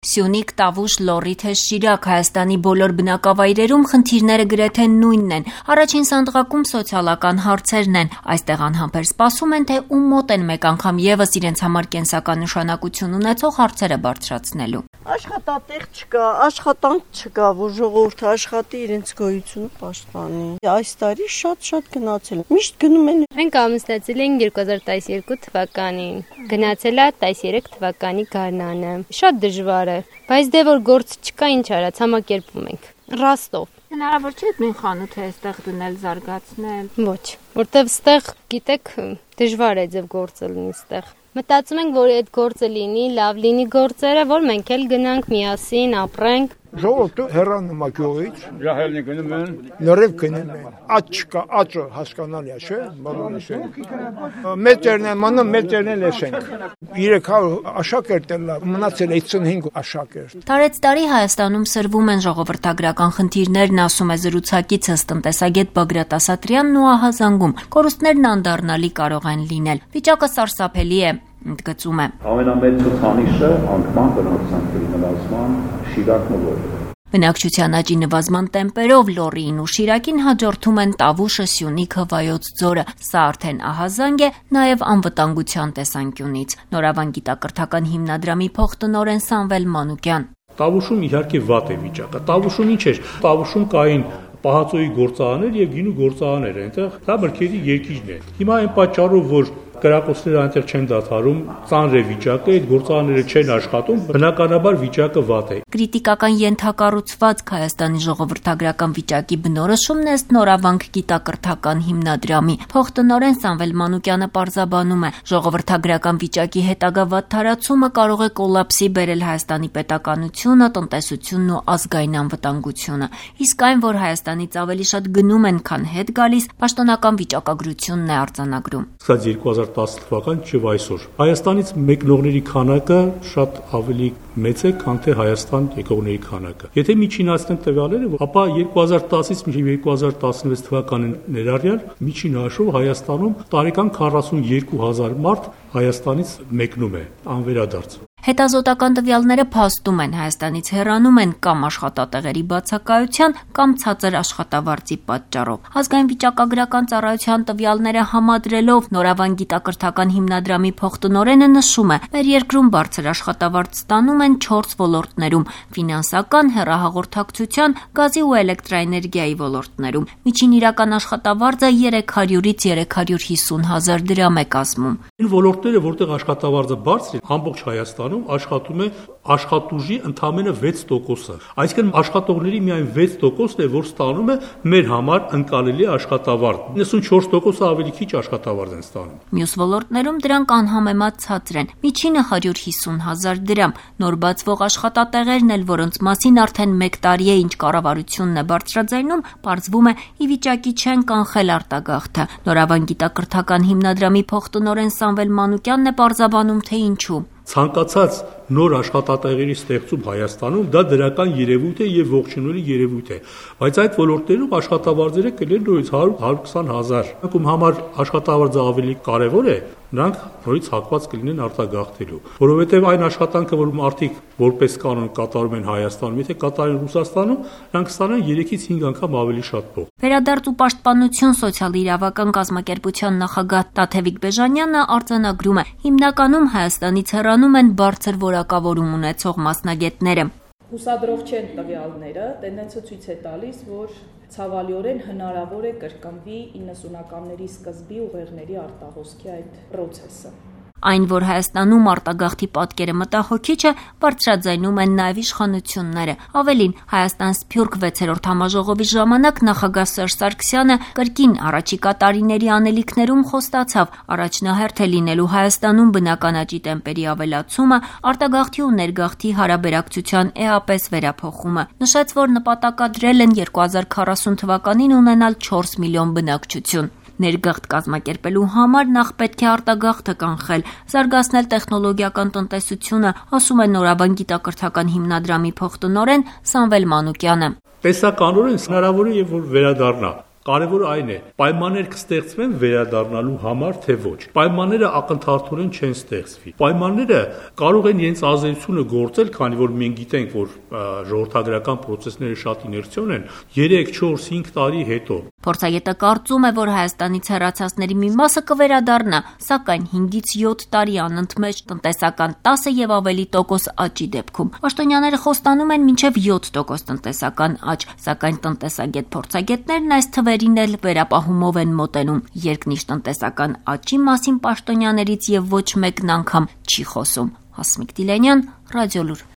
Սյունիք, Տավուշ, Լոռի, թե Շիրակ, Հայաստանի բոլոր բնակավայրերում խնդիրները գրեթե նույնն են։ Առաջին սանդղակում սոցիալական հարցերն են։ Այստեղ անհամբեր սպասում են, թե ում մոտ են մեկ անգամ եւս իրենց համար կենսական նշանակություն ունեցող հարցերը բարձրացնելու։ Աշխատատեղ չկա, աշխատանք չկա, որ ժողովուրդը աշխատի իրենց գոյությունը պաշտպանի։ Այս տարի շատ գնացել։ Միշտ գնում են։ Մենք ամուսնացել ենք 2012 թվականին։ Գնացել է 13 թվականի գարնանը։ Շատ դժվար է, բայց դե որ գործ չկա, ինչ արած, համակերպում ենք։ Ռաստով։ Հնարավոր չէ մի խանութ է այստեղ դնել, զարգացնել։ Ոչ, որտեվ ստեղ, գիտեք, դժվար է ձև գործը լինի ստեղ։ Մտածում ենք, որ այդ գործը լինի, լավ լինի գործերը, որ մենք էլ գնանք միասին, ապրենք։ Ժողովուրդը հեռանում է գյուղից, ջահելնի գնում են, լրիվ գնում են, աճ չկա, աճը հասկանալի է, չէ՞, բոլորս են։ Մետրն է մնում, մետրն էլ ենք։ 300 աշակերտ էլ մնացել 55 աշակերտ։ Տարեցտարի Հայաստանում սրվում են ժողովրդագրական խնդիրներն, ասում է զրուցակիցս տնտեսագետ Բագրատ Ասատրյանն ու ահազանգում։ Կորուստներն անդառնալի կարող են լինել։ Վիճակը սարսափելի է, ընդգծում է։ Ամենամեծ ցուցանիշը անկման բնակչության նվազման Շիրակն ու Լոռին։ Բնակչության աճի նվազման տեմպերով Լոռիին ու Շիրակին հաջորդում են Տավուշը, Սյունիքը, Վայոց ձորը։ Սա արդեն ահազանգ է նաև անվտանգության տեսանկյունից։ Նորավան գիտակրթական հիմնադրամի փոխտնօրեն Սամվել Մանուկյան։ Տավուշում իհարկե վատ է վիճակը։ Տավուշում ինչ էր։ Տավուշում կային պահածոյի գործարաններ եւ գինու գործարաններ, այնտեղ դա մրգերի երկիրն է։ Հիմա այն պատճառով, որ կրակոցները այնտեղ չեն դադարում, ծանր է վիճակը, այդ գործարանները չեն աշխատում, բնականաբար վիճակը վատ է։ Կրիտիկական ենթակառուցվածք Հայաստանի ժողովրդագրական վիճակի բնորոշումն է Նորավանք գիտակրթական հիմնադրամի։ Փոխտնօրեն Սամվել Մանուկյանը պարզաբանում է, ժողովրդագրական վիճակի հետագա վատթարացումը կարող է կոլապսի բերել Հայաստանի պետականությունը, տնտեսությունն ու ազգային անվտանգությունը։ Իսկ այն, որ Հայաստանից ավելի շատ գնում են, քան հետ գալիս, պաշտոնական վիճակագրությունն է արձանագրում։ 2010 թվական չէ այսօր։ Հայաստանից մեկնողների քանակը շատ ավելի մեծ է, քան թե Հայաստան եկողների քանակը։ Եթե միջինացնենք տվյալները, ապա 2010-ից մինչև 2016 թվականին ներառյալ միջին հաշվով Հայաստանում տարեկան 42000 մարդ Հայաստանից մեկնում է անվերադարձ։ Հետազոտական տվյալները փաստում են, Հայաստանից հեռանում են կամ աշխատատեղերի բացակայության, կամ ցածր աշխատավարձի պատճառով։ Ազգային վիճակագրական ծառայության տվյալները համադրելով Նորավան գիտակրթական հիմնադրամի փոխտնօրենը նշում է, մեր երկրում բարձր աշխատավարձ ստանում են 4 ոլորտներում՝ ֆինանսական, հեռահաղորդակցության, գազի ու էլեկտրաէներգիայի ոլորտներում։ Միջին իրական աշխատավարձը 300-ից 350 հազար դրամ է կազմում։ Այն ոլորտները, որտեղ աշխատավարձը բարձր է, ամբողջ Հայաստանում աշխատում է աշխատուժի ընդամենը 6%-ը։ Այսինքն աշխատողների միայն 6%-ն է, որ ստանում է մեր համար ընկալելի աշխատավարձ։ 94%-ը ավելի քիչ աշխատավարձ են ստանում։ Մյուս ոլորտներում դրանք անհամեմատ ցածր են։ Միջինը 150 հազար դրամ։ Նոր բացվող աշխատատեղերն էլ, որոնց մասին արդեն 1 տարի է ինչ կառավարությունն է բարձրաձայնում, պարզվում է ի վիճակի չեն կանխել արտագաղթը։ Նորավան գիտակրթական հիմնադրամի փոխտնօրեն Սամվել Մանուկյանն է պարզաբանում, թե ինչու։ Ցանկացած նոր աշխատատեղերի ստեղծում Հայաստանում դա դրական երևույթ է եւ ողջունելի երևույթ է, բայց այդ ոլորտներում աշխատավարձերը կլինեն նույնիսկ 100-120 հազար։ Անկում համար աշխատավարձը ավելի կարեւոր է, նրանք նորից հակված կլինեն արտագաղթելու, որովհետեւ այն աշխատանքը, որ մարդիկ որպես կանոն կատարում են Հայաստանում, եթե կատարեն Ռուսաստանում, նրանք ստանան 3-ից 5 անգամ ավելի շատ փող։ Վերադարձ ու պաշտպանություն սոցիալ-իրավական կազմակերպության նախագահ Տաթևիկ Բեժանյանը արձանագրում է, հիմնականում Հայաստանից հեռանում են բարձր որակավորում ունեցող մասնագետները։ Հուսադրող չեն տվյալները, տենդենսը ցույց է տալիս, որ ցավալիորեն հնարավոր է կրկնվի 90-ականների սկզբի ուղեղների արտահոսքի այդ process-ը։ Այն, որ Հայաստանում արտագաղթի պատկերը մտահոգիչ է, բարձրաձայնում են նաև իշխանությունները։ Ավելին, Հայաստան-Սփյուռք 6-րդ համաժողովի ժամանակ նախագահ Սերժ Սարգսյանը կրկին առաջիկա տարիների անելիքներում խոստացավ առաջնահերթ է լինելու Հայաստանում բնական աճի տեմպերի ավելացումը, արտագաղթի ու ներգաղթի հարաբերակցության էապես վերափոխումը։ Նշեց, որ նպատակադրել են 2040 թվականին ունենալ 4 միլիոն բնակչություն։ Ներգաղթ կազմակերպելու համար նախ պետք է արտագաղթը կանխել, զարգացնել տեխնոլոգիական տնտեսությունը, ասում է Նորավան գիտակրթական հիմնադրամի փոխտնօրեն Սամվել Մանուկյանը։ Տեսականորեն հնարավոր է եւ որ վերադառնա Կարևորը այն է, պայմաններ կստեղծվեն վերադառնալու համար, թե ոչ։ Պայմանները ակնթարթորեն չեն ստեղծվի։ Պայմանները կարող են իրենց ազդեցությունը գործել, քանի որ մենք գիտենք, որ ժողովրդագրական process-ները շատ իներցիոն են 3, 4, 5 տարի հետո։ Փորձագետը կարծում է, որ Հայաստանից հեռացածների մի մասը կվերադառնա, սակայն 5-ից 7 տարի անընդմեջ տնտեսական 10 եւ ավելի տոկոս աճի դեպքում։ Պաշտոնյաները խոստանում են մինչև 7% տնտեսական աճ, սակայն տնտեսագետ փորձագետներն այս թվերին էլ վերապահումով են մոտենում։ Երկնիշ տնտեսական աճի մասին պաշտոնյաներից եւ ոչ մեկն անգամ չի խոսում։ Հասմիկ Դիլենյան, Ռադիոլուր։